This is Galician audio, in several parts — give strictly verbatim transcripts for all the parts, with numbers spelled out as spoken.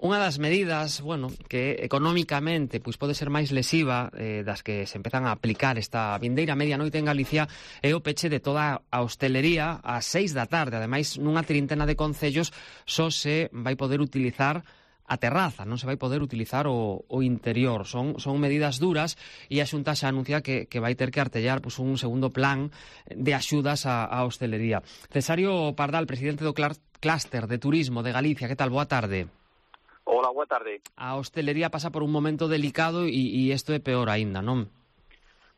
Unha das medidas, bueno, que económicamente pois pode ser máis lesiva eh, das que se empezan a aplicar esta vindeira medianoite en Galicia é o peche de toda a hostelería ás seis da tarde. Ademais, nunha trintena de concellos só se vai poder utilizar a terraza, non se vai poder utilizar o, o interior. Son, son medidas duras e a Xunta xa anuncia que, que vai ter que artellar pois, un segundo plan de axudas á, á hostelería. Cesario Pardal, presidente do Clúster de Turismo de Galicia, que tal? Boa tarde. Hola, boa tarde. A hostelería pasa por un momento delicado e, e isto é peor aínda, non?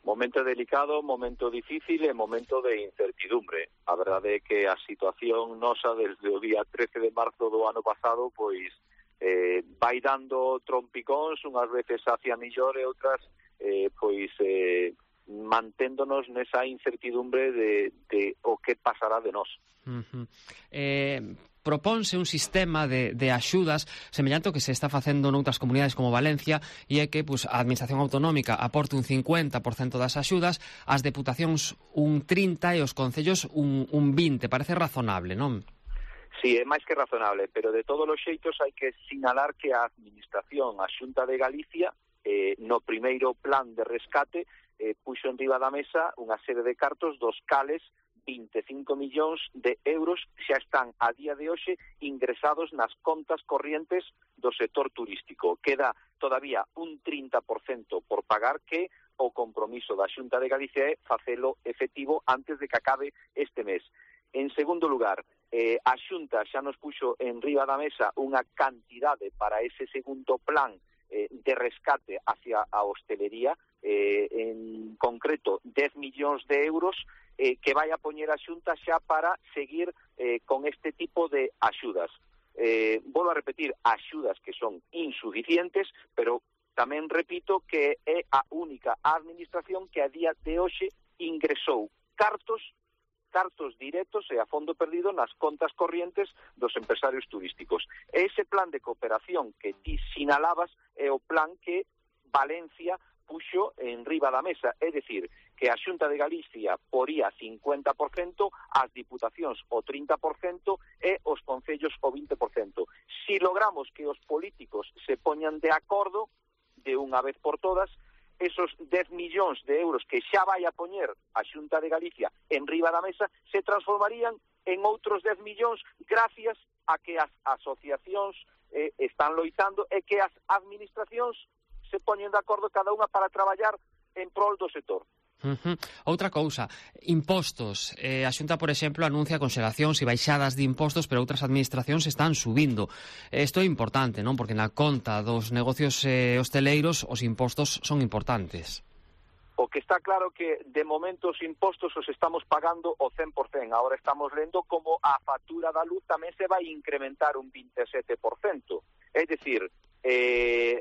Momento delicado, momento difícil e momento de incertidumbre. A verdade é que a situación nosa desde o día trece de marzo do ano pasado pois eh, vai dando trompicóns, unhas veces hacia millor e outras eh, pois eh, manténdonos nesa incertidumbre de, de o que pasará de nós. Uh-huh. Eh... Propónse un sistema de, de axudas semellante ao que se está facendo noutras comunidades como Valencia e é que pues, a Administración Autonómica aporte un cincuenta por cento das axudas, as deputacións un trinta por cento e os concellos un, un vinte por cento. Parece razonable, non? Sí, é máis que razonable, pero de todos os xeitos hai que sinalar que a Administración, a Xunta de Galicia, eh, no primeiro plan de rescate, eh, puxo en riba da mesa unha serie de cartos dos cales vinte e cinco millóns de euros xa están a día de hoxe ingresados nas contas corrientes do sector turístico. Queda todavía un trinta por cento por pagar, que o compromiso da Xunta de Galicia é facelo efectivo antes de que acabe este mes. En segundo lugar, eh, a Xunta xa nos puxo en riba da mesa unha cantidade para ese segundo plan eh, de rescate hacia a hostelería, eh, en concreto dez millóns de euros, Eh, que vai a poñer a Xunta xa para seguir eh, con este tipo de axudas. Eh, volvo a repetir, axudas que son insuficientes, pero tamén repito que é a única administración que a día de hoxe ingresou cartos cartos directos e a fondo perdido nas contas corrientes dos empresarios turísticos. E ese plan de cooperación que ti sinalabas é o plan que Valencia puxo en riba da mesa, é dicir, que a Xunta de Galicia poría cincuenta por cento, as diputacións o trinta por cento e os concellos o vinte por cento. Si logramos que os políticos se poñan de acordo de unha vez por todas, esos dez millóns de euros que xa vai a poñer a Xunta de Galicia en riba da mesa se transformarían en outros dez millóns gracias a que as asociacións eh, están loitando e que as administracións se poñen de acordo cada unha para traballar en prol do sector. Uh-huh. Outra cousa, impostos. Eh, a Xunta, por exemplo, anuncia congelacións e baixadas de impostos, pero outras administracións están subindo. Isto é importante, non? Porque na conta dos negocios eh, hosteleiros os impostos son importantes. O que está claro que de momento os impostos os estamos pagando o cen por cento. Ahora estamos lendo como a factura da luz tamén se vai incrementar un vinte e sete por cento. É dicir, eh,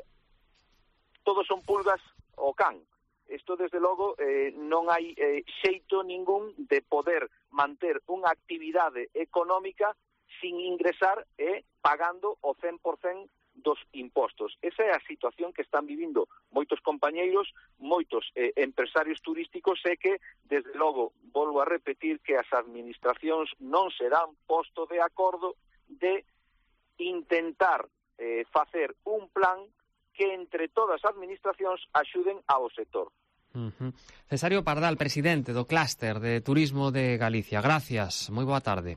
todos son pulgas ao can. Isto, desde logo, eh, non hai eh, xeito ningún de poder manter unha actividade económica sin ingresar e eh, pagando o cen por cento dos impostos. Esa é a situación que están vivindo moitos compañeiros, moitos eh, empresarios turísticos, e que, desde logo, volvo a repetir que as administracións non se dan posto de acordo de intentar eh, facer un plan que entre todas as administracións axuden ao sector. Uh-huh. Cesario Pardal, presidente do Clúster de Turismo de Galicia. Gracias, moi boa tarde.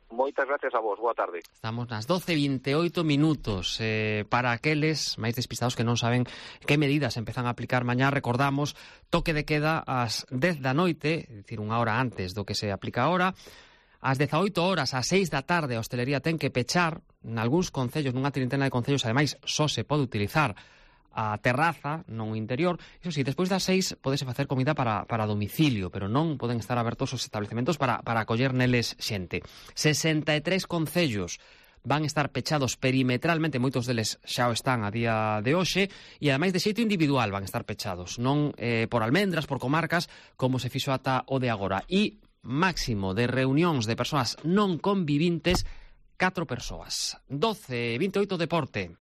Moitas gracias a vos, boa tarde. Estamos nas doce e vinte e oito minutos. Eh, para aqueles máis despistados que non saben que medidas empezan a aplicar mañá, recordamos, toque de queda ás dez da noite, é dicir, unha hora antes do que se aplica ahora. Ás dezaoito horas, ás seis da tarde, a hostelería ten que pechar. Nalgúns concellos, nunha trintena de concellos, ademais, só se pode utilizar a terraza, non o interior. Iso si, despois das seis podese facer comida para, para domicilio, pero non poden estar abertos os establecementos para, para acoller neles xente. sesenta e tres concellos van estar pechados perimetralmente, moitos deles xa o están a día de hoxe, e ademais de xeito individual van estar pechados, non eh, por almendras, por comarcas, como se fixo ata o de agora. E máximo de reunións de persoas non convivintes, catro persoas. doce e vinte e oito, deporte.